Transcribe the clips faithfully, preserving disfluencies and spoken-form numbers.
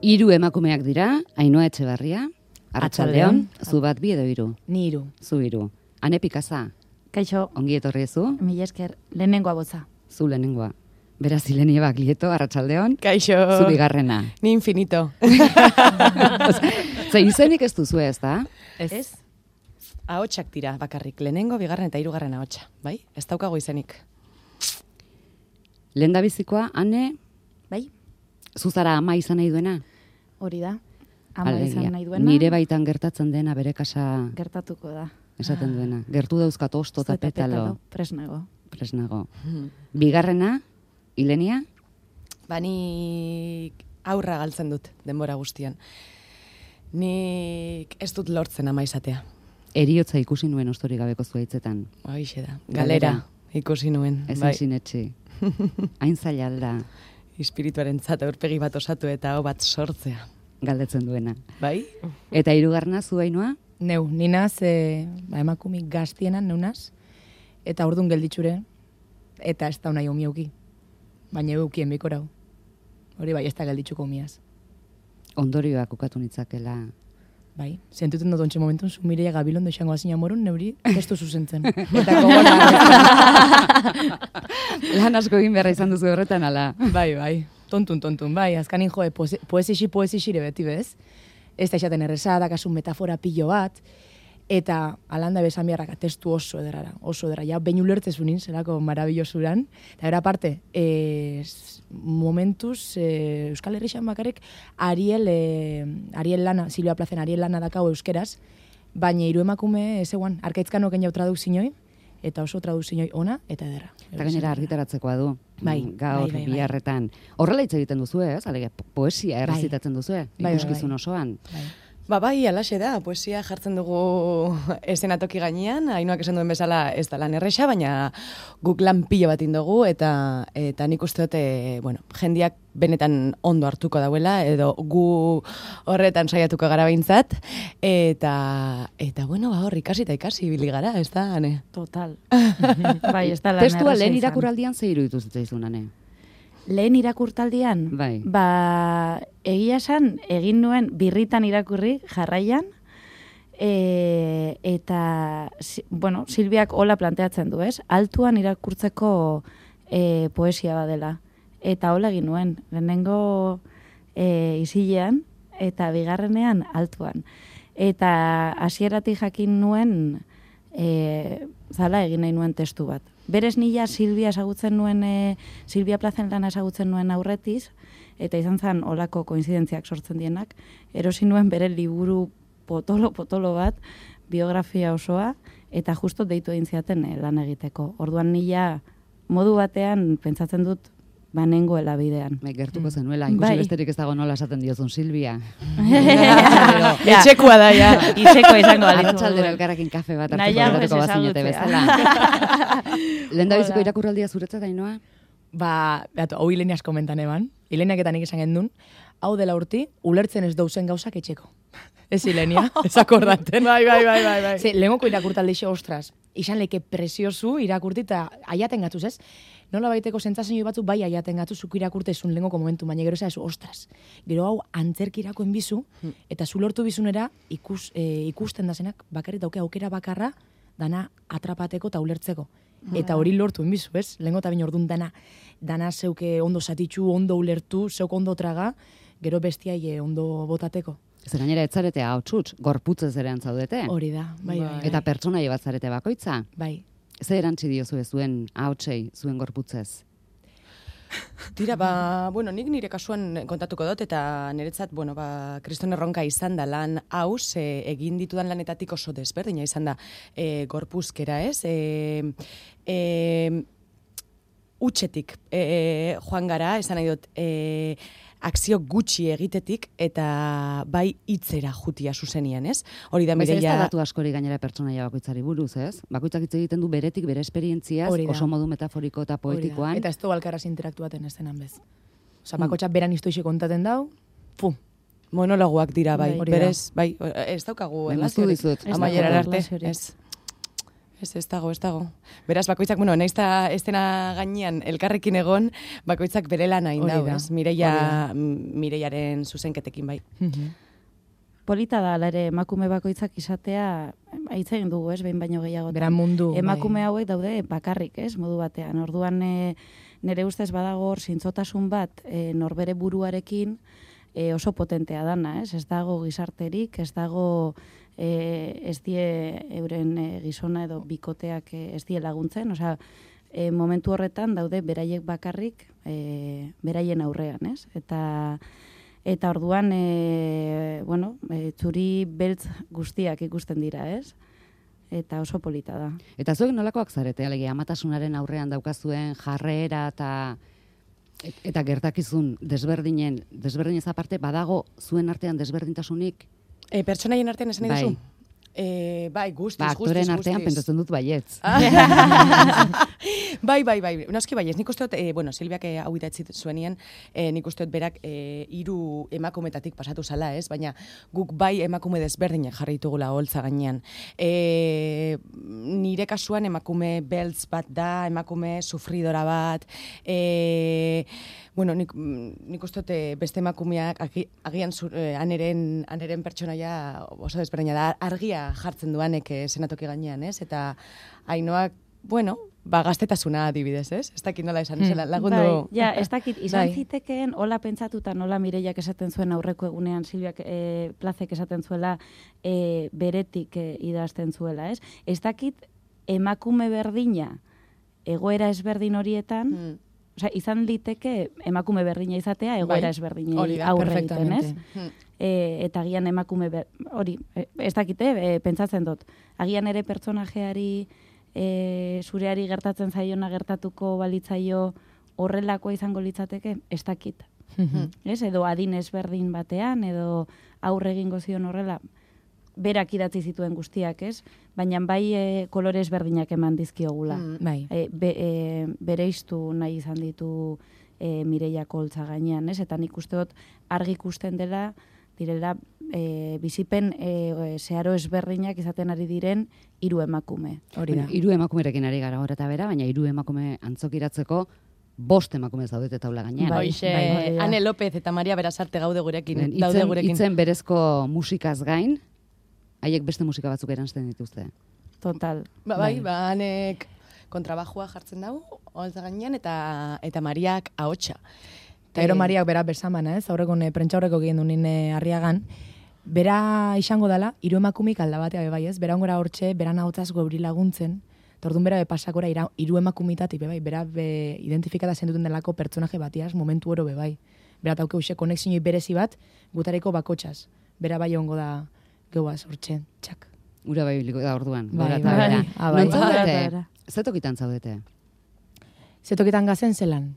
Hiru emakumeak dira, Ainhoa Etxebarria, Arratsaldeon, zu bat bi edo hiru? Ni hiru. Zu hiru. Ane Pikaza, Kaixo, ongi etorri zu? mila esker, lehenengoa botza. Zu lehenengoa. Beraz, Ilenia Baglieto, Arratsaldeon. Kaixo. Zu bigarrena. Ni infinito. Ze izenik ez duzu ez da? Ez? Ahotsak dira bakarrik, lehenengo, bigarren eta hirugarren ahotsa, bai? Ez daukago izenik. Lehendabizikoa, Ane, Bai, zuzara ama izan nahi duena? hori da. Ama Alegia, izan nahi duena. Nire baitan gertatzen dena bere kasa Gertatuko da. esaten duena. Gertu dauzkat osto eta petalo. Presnago. Presnago. Bigarrena, Ilenia? Ba, nik aurra galtzen dut denbora guztian. Nik ez dut lortzen ama izatea. Eriotza ikusi nuen ostori gabeko zuaitzetan. Haixe da. Galera. Galera ikusi nuen. Ez bai. sinetxi. Hain zaila alda Espirituaren zat aurpegi bat osatu eta hau bat sortzea. galdetzen duena. Bai? Eta hirugarrena zu Ainhoa? Neu, ninaz, e, ba, emakumik gaztienan neunaz, eta ordun gelditxure, eta ez da nahi omiauki. Baina eukien bikorau. Hori bai, ez da gelditxuko omiaz. Ondorioak ukatu nitzakela. Bai, zentuten dut ontxe momentun, zu Mireia Gabilondo izango azina morun, neuri testu zuzentzen. Eta gogora. Lan asko egin beharra izan duzu horretan, ala. Bai, bai, tontun, tontun, bai, azkanin joe, poesixi, poesixire beti bez. Ez da esaten erreza, dakasun metafora pilo bat, eta alanda bezan biharraka testu oso ederara, oso edera, ja behin ulertzezunin, zelako marabillosuran, eta era parte, e, momentuz, e, Euskal Herrixan bakarrik, Ariel, e, Ariel lana, Silvia Plazen Ariel lana dakau euskeraz, baina hiru emakume, ez eguan, arkaitzkano jau tradukzinoi, eta oso tradukzinoi ona, eta ederra. Eta gainera argitaratzekoa du. Bai, gaur, bai, bai, bai. biharretan. Horrela hitz egiten duzu, ez? Alegia, poesia errezitatzen duzu, Bai, bai, ikuskizun bai. osoan. Bai. Ba, bai, alaxe da, poesia jartzen dugu eszenatoki gainean, Ainhoak esan duen bezala ez da lan erresa, baina guk lan pilo bat indogu, eta, eta nik uste dute, bueno, jendiak benetan ondo hartuko dauela, edo gu horretan saiatuko gara behintzat, eta, eta bueno, ba, hor, ikasi eta ikasi ibili gara, ez da, Ane? Total. Bai, ez da lan Testua erraza lehen izan. irakuraldian ze iruditu zitzaizun, Ane? Lehen irakurtaldian, Bai. ba, egia esan, egin nuen birritan irakurri jarraian, e, eta, si- bueno, Silbiak hola planteatzen du, ez? Altuan irakurtzeko e, poesia badela. Eta hola egin nuen, lehenengo e, isilean, eta bigarrenean altuan. Eta hasieratik jakin nuen, e, zala egin nahi nuen testu bat. Berez nila Silvia esagutzen nuen, e, Silvia Plazen lana esagutzen nuen aurretiz, eta izan zen olako koinzidentziak sortzen dienak, erosi nuen bere liburu potolo-potolo bat, biografia osoa, eta justo deitu egin ziaten e, lan egiteko. Orduan nila modu batean pentsatzen dut banengoela bidean. Bai, gertuko zenuela, ikusi Bai. besterik ez dago nola esaten diozun Silvia. Etxekua da, ja. Izeko izango balitz. Arratsaldera elkarrekin kafe bat hartuko Nahiago ez geratuko bazinete ezagutzea. bezala. Lehendabiziko Hola. irakurraldia zuretzat, Ainhoa? Ba, beatu, hau Ilenia asko mentan eban. Ileniak eta nik esan gendun, hau dela urti, ulertzen ez dauzen gauzak etxeko. Ez Ilenia, ez akordaten. Bai, bai, bai, bai, bai. Ze, lehengoko irakurtalde xe, ostras, izan leke preziosu irakurti eta aiaten gatuz, ez? Nola baiteko sentsazio batzu bai aiaten gatuz zuku irakurtezun lehengoko momentu, baina gero ezu, ostras, gero hau antzerki irakoen bizu, eta zu lortu bizunera ikus, e, ikusten da zenak, bakarrik dauke aukera bakarra, dana atrapateko eta ulertzeko. Eta hori lortu enbizu, ez? Lehengo eta bain orduan dana, dana zeuke ondo zatitxu, ondo ulertu, zeuk ondo traga, gero bestiai ondo botateko. Ez gainera etzarete hau txutx, gorputzez ere antzaudete. Hori da, bai, bai, bai. Eta pertsonaia bat zarete bakoitza. bai. Ze erantzi diozu zuen ahotsei, zuen gorputzez? Tira, ba, bueno, nik nire kasuan kontatuko dut, eta niretzat, bueno, ba, kriston erronka izan da lan hau, ze egin ditudan lanetatik oso desberdina izan da e, gorpuzkera, ez? E, e, utxetik e, joan gara, esan nahi dut, e, akzio gutxi egitetik, eta bai hitzera jutia zuzenian, ez? Hori da Baiz ez da Mireia... datu askori gainera pertsonaia bakoitzari buruz, ez? Bakoitzak hitz egiten du beretik, bere esperientziaz, Hori da. oso modu metaforiko eta Hori da. poetikoan. Eta ez du alkaraz interaktuaten ez denan bez. Osa, bakotxak beran iztoixe kontaten dau, fu, Monologoak dira, bai, Bai. Hori da. berez, bai, ez daukagu Bai, moztu erlaziorik. dizut. Ez Amaiera daukagu arte, erlaziorik. ez. Ez, ez dago, ez dago. Beraz, bakoitzak, bueno, nahiz eta estena gainean elkarrekin egon, bakoitzak bere lan hain Hori dau, da. ez? Mireia, Mireiaren zuzenketekin bai. Polita da, ala ere, emakume bakoitzak izatea, hitz egin dugu, ez, behin baino gehiago. Bera mundu. Emakume bai. hauek daude bakarrik, ez, modu batean. Orduan, e, nire ustez badago hor zintzotasun bat e, norbere buruarekin e, oso potentea dana, ez? Ez dago gizarterik, ez dago e, ez die euren e, gizona edo bikoteak e, ez die laguntzen, osea, e, momentu horretan daude beraiek bakarrik e, beraien aurrean, ez? Eta Eta orduan, e, bueno, e, txuri beltz guztiak ikusten dira, ez? Eta oso polita da. Eta zuek nolakoak zarete, alegia, amatasunaren aurrean daukazuen jarrera eta et- eta gertakizun desberdinen, desberdinez aparte, badago zuen artean desberdintasunik? E, pertsonaien artean esan nahi Bai. duzu? E, bai, guztiz, Ba, guztiz, aktoren artean guztiz. pentsatzen dut baietz. Bai, bai, bai. Noski bai, ez nik uste dut, e, bueno, Silviak e, hau idatzi zuenien, e, nik uste dut berak e, hiru emakumetatik pasatu zala, ez? Baina guk bai emakume desberdinek jarri ditugula holtza gainean. E, nire kasuan emakume beltz bat da, emakume sufridora bat, e, bueno, nik, nik uste dut e, beste emakumeak agi, agian zu, e, aneren, aneren pertsonaia oso desberdina da, argia jartzen duanek e, senatoki gainean, ez? Eta Ainoak, bueno, ba, gaztetasuna adibidez, ez? Ez dakit nola esan, mm. lagundu. Bai, ja, ez dakit, izan Bai. zitekeen, hola pentsatuta, nola Mireiak esaten zuen aurreko egunean, Silviak e, plazek esaten zuela, e, beretik e, idazten zuela, ez? Ez dakit, emakume berdina, egoera ezberdin horietan, Mm. osea, izan liteke emakume berdina izatea, egoera Bai, ezberdinei hori da, aurre egiten, ez? perfectamente. Mm. E, eta agian emakume, ber, hori, e, ez dakite, e, pentsatzen dut. Agian ere pertsonajeari, e, zureari gertatzen zaiona gertatuko balitzaio horrelakoa izango litzateke, ez dakit. Ez? Edo adin ezberdin batean, edo aurre egingo zion horrela, berak idatzi zituen guztiak, ez? Baina bai e, kolore ezberdinak eman dizkiogula. Mm. Bai. E, be, e, bereiztu nahi izan ditu e, Mireiak holtza gainean, ez? Eta nik uste dut argi ikusten dela, direla e, bizipen e, zeharo ezberdinak izaten ari diren hiru emakume. Hori da. Bueno, hiru emakumerekin ari gara gora eta bera, baina hiru emakume antzokiratzeko bost emakume zaudete taula gainean. Bai. Hoxe, bai, bai. Ane López eta Maria Berasarte gaude gurekin, Itzen, daude gurekin. itzen berezko musikaz gain, haiek beste musika batzuk eransten dituzte. Total. Ba, bai, ba, Anek kontrabajua jartzen dago, holtza gainean, eta eta Mariak ahotsa. Eta ero Mariak bera besamana, ez? Aurreko ne prentxaurreko egin du nine Arriagan. Bera izango dela, hiru emakumik alda batea be bai, ez? Bera ongora hortxe, bera nahotzaz gobri laguntzen. Tordun bera be pasakora ira, hiru emakumitati be bai, bera be identifikata zenduten delako pertsonaje batiaz, momentu oro be bai. Bera tauke uxe konexioi berezi bat, gutareko bakotxaz. Bera bai ongo da geuaz hortxe, txak. Ura bai biliko da orduan. Bai, gora eta bai. bera. Ah, bai. Non zaudete? Bai, bai. Zetokitan zaudete? Zetoketan gazen zelan?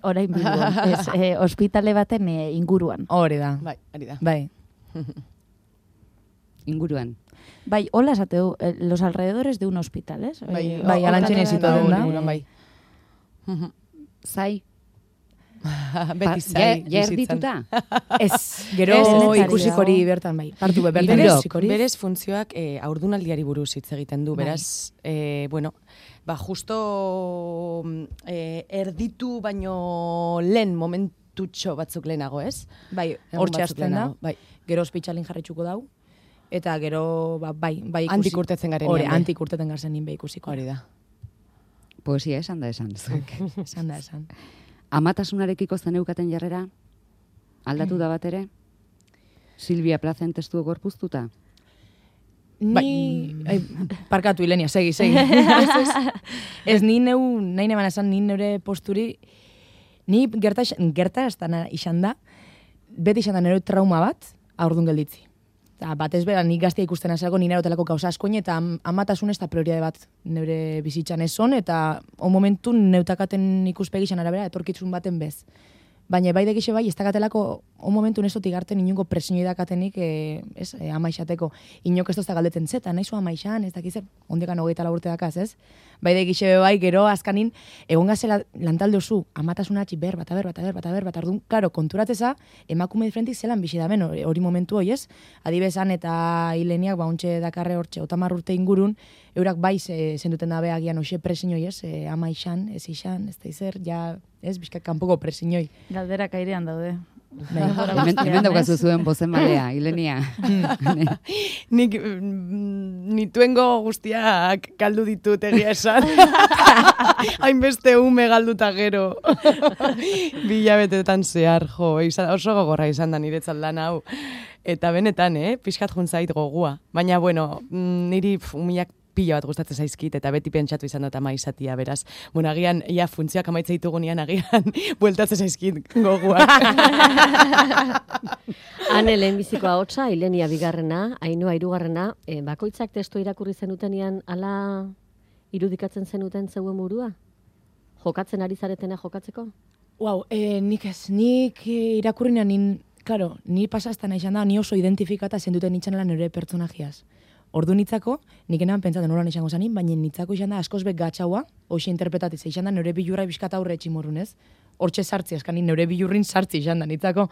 Orain bilduan, ez, e, ospitale baten e, inguruan. Hori da. Bai, ari da. Bai. Inguruan. Bai, hola esateu, eh, los alrededores de un hospital, ez? Bai, Eh, bai, o- alantxe horretara- nezitoten da. inguruan, bai. Zai? Beti Ja, zai. ja bizitzan. erdituta? Ez, gero Ez, ez, ez, ikusikori ez. bertan bai. Partu be, bertan Hirurok. ikusikori. Berez funtzioak e, aurdunaldiari buruz hitz egiten du, Bai. beraz, e, bueno, ba, justo e, erditu baino lehen momentutxo batzuk lehenago, ez? Bai, Egun hortxe batzuk hasten da. lehenago, bai. Gero ospitsalin jarritxuko dau. Eta gero, ba, bai, bai ikusi. Handik urtetzen garenean, Hori, bai. handik urteten garzen nien be ikusiko. Hori da. Poesia esan da esan. zuek. Esan da, esan. Amatasunarekiko zeneukaten jarrera? Aldatu da bat ere? Silvia Plazen testu gorpuztuta? Ni... Ai, parkatu, Ilenia, segi, segi. ez, ez, ez, ni neu, nahi neban esan, ni neure posturi, ni gerta, gerta estana izan da, beti izan da nire trauma bat, aurdun gelditzi. Eta batez bera, nik gaztea ikusten azalako, ni nerotelako gauza askoin, eta am- amatasun ez da prioriade bat neure bizitzan ez on, eta on momentu neutakaten ikuspegi izan arabera, etorkitzun baten bez. baina bai degixe bai, ez dakatelako, on momentu nesto tigarten inungo presiñoi dakatenik, e, ez, e, amaixateko, inok ez tozta galdeten zeta, nahi zu amaixan, ez dakizer, ondekan hogeita urte dakaz, ez? Bai degixe bai, gero azkanin, egon gazela lantaldozu, amatasunatxi ber, bata ber, bata ber, bata ber, bata ardun, klaro, konturatzeza, emakume diferentik zelan bizi daben, hori momentu hoi, ez? Adibezan eta hileniak, ba, ontxe dakarre hortxe, otamar urte ingurun, eurak bai zenduten dabe agian hoxe presiñoi, ez? E, amaixan, ez ixan, ez da izer, ja, ez, bizkak kanpoko presiñoi. Galderak airean daude. Hemen, hemen daukazu zuen bozen malea, Ilenia. Nik mm, nituengo guztiak galdu ditut egia esan. Hainbeste ume galduta gero. Bilabetetan zehar, jo, izan, oso gogorra izan da niretzat lan hau. Eta benetan, eh, pixkat juntzait gogua. Baina, bueno, niri pf, umiak pila bat gustatzen zaizkit, eta beti pentsatu izan dut ama izatia, beraz. Bueno, agian, ia funtzioak amaitza ditugunean, agian, bueltatzen zaizkit goguak. Ane lehenbizikoa hotza, Ilenia bigarrena, Ainhoa hirugarrena, e, bakoitzak testo irakurri zenutenian ala irudikatzen zenuten zeuen burua? Jokatzen ari zaretena jokatzeko? Wow, e, nik ez, nik e, irakurrinean, nin, claro, ni pasaztan izan da, ni oso identifikata zenduten itxan lan nire pertsonajiaz. Ordu nitzako, nik enan pentsatzen noran izango zanin, baina nitzako izan da askoz bet gatxaua, hoxe interpretatitza izan da nire bilurra biskata aurre etximorrun, ez? Hortxe sartzi, eskan nire bilurrin sartzi izan da nitzako.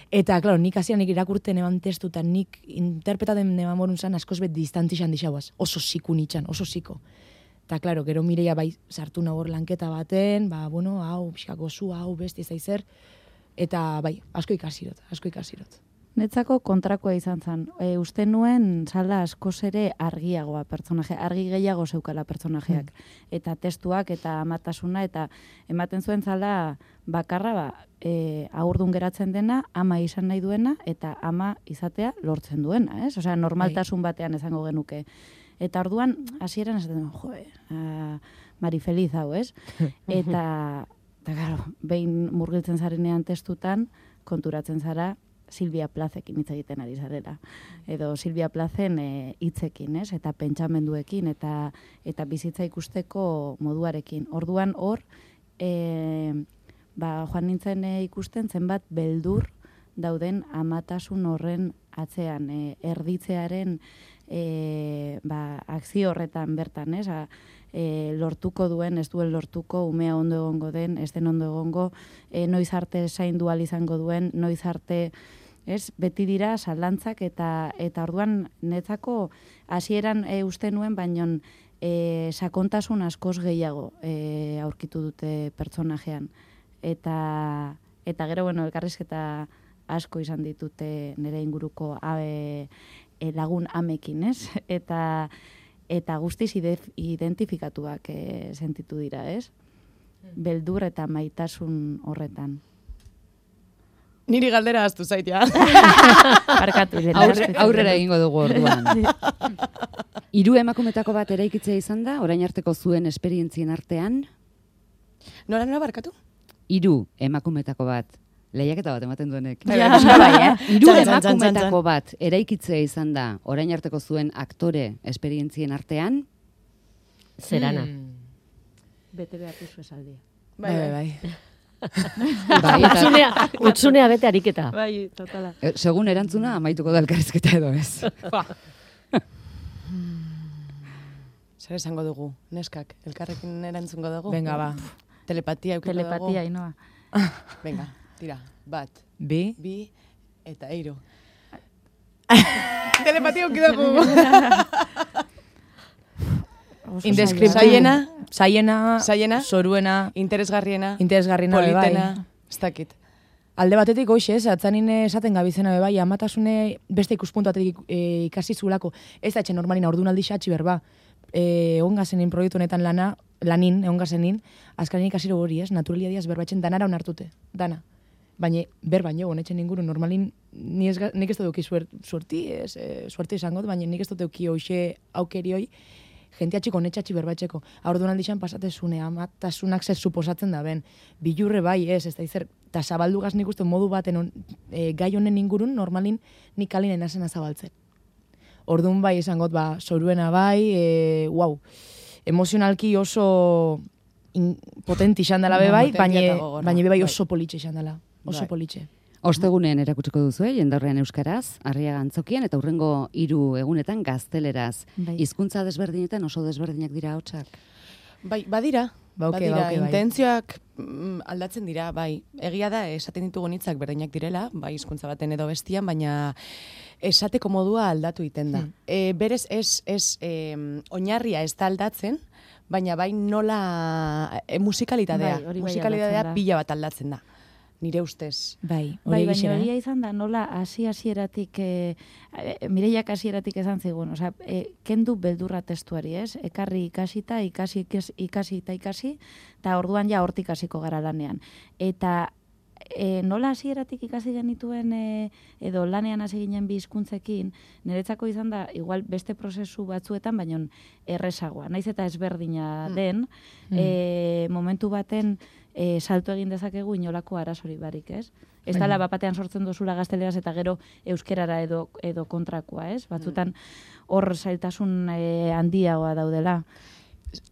Eta, klaro, nik hasian nik irakurten eban testuta, nik interpretaten eban morun zan askoz bet distanti izan dixauaz. Oso ziku nitxan, oso ziko. Eta, klaro, gero Mireia bai sartu nahor lanketa baten, ba, bueno, hau, biskako zu, hau, besti zaizer. Eta, bai, asko ikasirot, asko ikasirot. Netzako kontrakoa izan zen. E, uste nuen zala askoz ere argiagoa pertsonaje, argi gehiago zeukala pertsonajeak. Mm. Eta testuak eta amatasuna, eta ematen zuen zala bakarra, ba, e, aurdun geratzen dena, ama izan nahi duena, eta ama izatea lortzen duena, ez? Osea, normaltasun batean izango genuke. Eta orduan, hasieran esaten duen, joe, a, Mari Feliz hau, ez? Eta, eta claro, behin murgiltzen zarenean testutan, konturatzen zara, Silvia Plazekin hitz egiten ari zarela. Edo Silvia Plazen e, hitzekin, ez? Eta pentsamenduekin, eta eta bizitza ikusteko moduarekin. Orduan hor, e, ba, joan nintzen e, ikusten zenbat beldur dauden amatasun horren atzean, e, erditzearen e, ba, akzio horretan bertan, ez? A, E, lortuko duen, ez duen lortuko, umea ondo egongo den, ez den ondo egongo, e, noiz arte zaindu ahal izango duen, noiz arte, ez, beti dira zalantzak, eta eta orduan netzako hasieran e, uste nuen, baino e, sakontasun askoz gehiago e, aurkitu dute pertsonajean. Eta, eta gero, bueno, elkarrizketa asko izan ditute nire inguruko abe, e, lagun amekin, ez? Eta eta guztiz identifikatuak e, sentitu dira, ez? Beldur eta maitasun horretan. Niri galdera aztu zait, ja. Barkatu, Aurre, aurrera egingo dugu orduan. Hiru emakumetako bat eraikitzea izan da, orain arteko zuen esperientzien artean? Nora, nora barkatu? Hiru emakumetako bat. Lehiaketa bat ematen duenek. Ja, bai, eh? Hiru emakumetako bat eraikitzea izan da, orain arteko zuen aktore esperientzien artean? Zerana. Hmm. Bete behar duzu esaldia. Bai, bai, bai. Bai, eta, Utsunea, utsunea bete ariketa. Bai, totala. eh, segun erantzuna, amaituko da elkarrizketa edo ez. Zer esango dugu, neskak, elkarrekin erantzungo dugu? Venga, ba. Telepatia eukiko dugu? Telepatia, inoa. Venga, tira, bat, Bi. bi, eta hiru. Telepatia eukiko dugu. Indeskriptible. Saiena, Saiena, Saiena, soruena, interesgarriena, interesgarriena, bai. politena, ez dakit. Alde batetik hoxe, ez, atzanin esaten gabizena be bai, amatasune beste ikuspuntu batetik e, ikasi zulako. Ez da etxe normalina ordunaldi xatxi berba. E, ongazenin proiektu honetan lana, lanin, ongazenin, azkarin ikasiro hori, ez, naturalia diaz berbatzen danara onartute, dana. Baina, ber baino, honetxen inguru, normalin, ni ez, nik ez dut euki suerti, ez, e, suerti izango, baina nik ez dut euki hoxe aukerioi, jentea txiko netxatxi berbatxeko. Aurduan aldixan pasatezune, amatasunak zer suposatzen da ben. Bilurre bai, ez, ez da izer, eta zabaldugaz nik uste modu baten on, e, gai honen ingurun, normalin nik kalinen azena zabaltzen. Orduan bai esangot, ba, soruena bai, e, wow, emozionalki oso in, potenti izan dela be bai, baina baina be bai oso politxe izan dela. oso Bai. politxe. Ostegunean erakutsiko duzu, eh, jendaurrean euskaraz, Arriaga Antzokian, eta hurrengo hiru egunetan gazteleraz. Bai. Hizkuntza desberdinetan oso desberdinak dira ahotsak. Bai, badira. Bauke, badira, bauke, bai. intentzioak mm, aldatzen dira, bai. Egia da, esaten ditugun hitzak berdinak direla, bai hizkuntza baten edo bestian, baina esateko modua aldatu egiten da. Hmm. E, berez, ez, ez e, oinarria ez da aldatzen, baina bai nola e, musikalitatea. Bai, hori bai musikalitatea aldatzen da. pila bat aldatzen da. Nire ustez. Bai, Bai, hori baina gixera. egia izan da, nola hasi hasieratik e, Mireiak hasieratik esan zigun, osea, e, kendu beldurra testuari, ez? Ekarri ikasita, ikasi, ikasi, ikasi eta ikasi, eta orduan ja hortik hasiko gara lanean. Eta e, nola hasieratik ikasi genituen e, edo lanean hasi ginen bi hizkuntzekin, niretzako izan da, igual beste prozesu batzuetan, baina errezagoa. Naiz eta ezberdina den, Mm. e, momentu baten e, salto egin dezakegu inolako arazori barik, ez? Ez dala bapatean sortzen dozula gazteleraz eta gero euskerara edo, edo kontrakoa, ez? Batzutan hor zailtasun e, handiagoa daudela.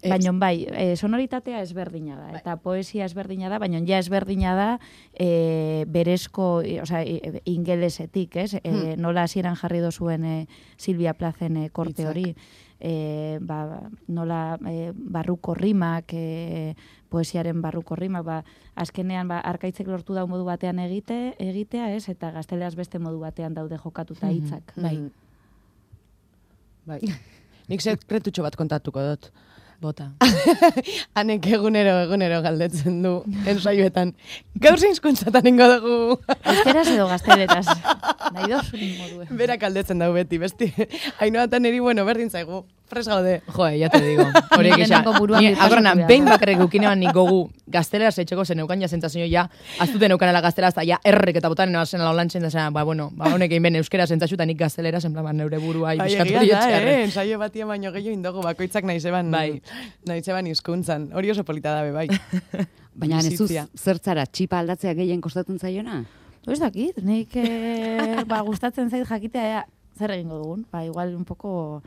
Baina bai, e, sonoritatea ezberdina da, eta poesia ezberdina da, baina ja ezberdina da e, berezko, e, osea, e, ingelesetik, ez? E, nola hasieran jarri dozuen e, Silvia Plazen e, korte Hitzak. hori, e, ba, nola e, barruko rimak, e, poesiaren barruko rimak, ba, azkenean ba, arkaitzek lortu dau modu batean egite, egitea, ez? Eta gazteleaz beste modu batean daude jokatuta hitzak. Bai. Bai. Nik sekretutxo bat kontatuko dut. Bota. Hanek egunero, egunero galdetzen du, ensaioetan. Gaur zein hizkuntzatan ingo dugu. Euskeraz edo gazteleraz. Nahi dozun modue. Berak galdetzen dau beti, besti. Hainoa eta niri, bueno, berdin zaigu. Fres gaude. Jo, ya te digo. Horiek Ni isa. lehenengo buruan Ni birpasatu agorrenan, behar. behin bakarrik eukinean nik gogu gazteleraz etxeko zen eukan ja sentsazio ja, aztuten eukanela gazteleraz, eta ja errek eta botan zen ala holantzen da zen, ba, bueno, ba, honek egin ben euskera sentsazio eta nik gazteleraz, en plan, ba, neure burua Bai, ibiskatu egia da, diotxearre. eh? Ensaio batia baino gehiago indogu bakoitzak nahi zeban, Bai. nahi zeban hizkuntzan. Hori oso polita dabe, bai. Baina nezuz Bizitzia. zertzara txipa aldatzea gehien kostatzen zaiona? Ez dakit, nik e, ba, gustatzen zait jakitea ea, zer egingo dugun. Ba, igual un poco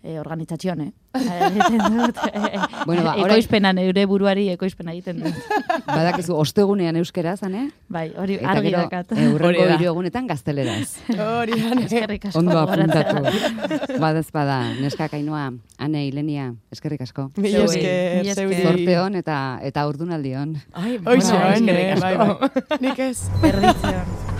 e, organizazion, eh? Egiten dut, e, Bueno, ba, orain- ekoizpena, neure buruari ekoizpena egiten dut. Badakizu ostegunean euskera zane? Bai, hori Eta argi gero dakat. eh, hurrengo Hori da. hiru egunetan gazteleraz. Hori da, ne? Eskerrik asko. Ondo gogoratzea. apuntatu. Badez bada, neska Kainoa, Ane, Ilenia, eskerrik asko. Mila Zeuri, esker, mila esker. zeuri. Zorte hon eta eta urdunaldi hon. Ai, Hoxe, bueno, bai, eskerrik bai, asko. bai. Nik ez. Erditzen.